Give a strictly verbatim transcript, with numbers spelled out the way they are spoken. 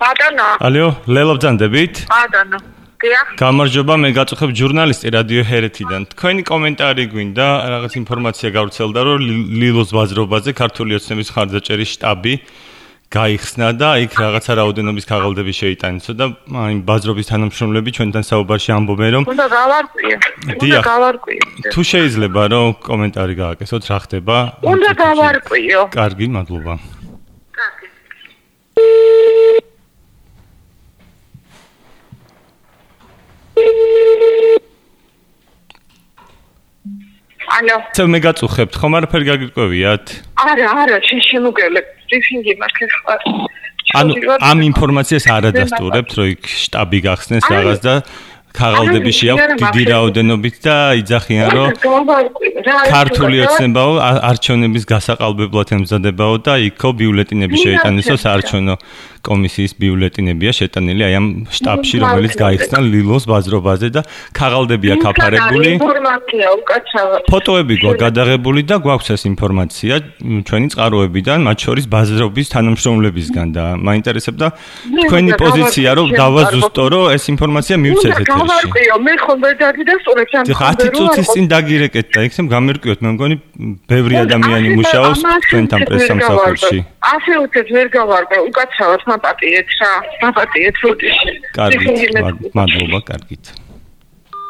ბატონო. ალო, ლელო ბძანდებით? ბატონო. დიახ. გამარჯობა, მე გაწუხებ ჟურნალისტი რადიო ჰერეთიდან. თქვენი კომენტარი გვინდა, რაღაც ინფორმაცია გავრცელდა, რომ ლილოს ბაზრობაზე ქართული ოცნების მხარდაჭერის შტაბი გაიხსნა და იქ რაღაცა რაოდენობის ქაღალდები შეიტანისო და აი ბაზრობის თანამშრომლები ჩვენთან საუბარში ამბობენ, რომ უნდა გავარკვიო. უნდა გავარკვიო. თუ შეიძლება რომ კომენტარი გააკეთოთ, რა ხდება? უნდა გავარკვიო. კარგი, მადლობა. კარგი. ალო. ცე მე გაწუხებთ, ხომ არაფერი გაგიკვევიათ? არა, არა, შემოგელებ. ბრიფინგი მაქვს ხარ. ანუ ამ ინფორმაციას არ ადასტურებთ, რომ იქ შტაბი გახსნეს რაღაც და ქაღალდები შეაქვთ დიდი რაოდენობით და იძახიან, რომ ქართული ოცნებაო არჩევნების გასაყალბებლად ემზადებაო და იქო ბიულეტინები შეიტანისო საარჩევნო კომისიის ბიულეტინებია შეტანილი აი ამ შტაბში, რომელიც გაიხსნა ლილოს ბაზრობაზე და ქაღალდებია გაფარებული. ინფორმაცია უკაცრავად. ფოტოები გვაქვს გადაღებული და გვაქვს ეს ინფორმაცია ჩვენი წყაროებიდან, მათ შორის ბაზრობის თანამშრომლებისგან და მაინტერესებდა თქვენი პოზიცია, რომ დავაზუსტო, რომ ეს ინფორმაცია მივცეთ ეთერში. გავარკვიო, მე ხომ ვერ დაგიდასტურებ ამ ხათი წუთის წინ დაგირეკეთ და იქნებ გამერკვიოთ, მე მგონი ბევრი ადამიანი მუშაობს თქვენთან პრესსამსახურში. ასე უცებ ვერ გავარკვიო, უკაცრავად მაპატიეთ რა, მაპატიეთ როდეში. კარგით, მადლობა, კარგით.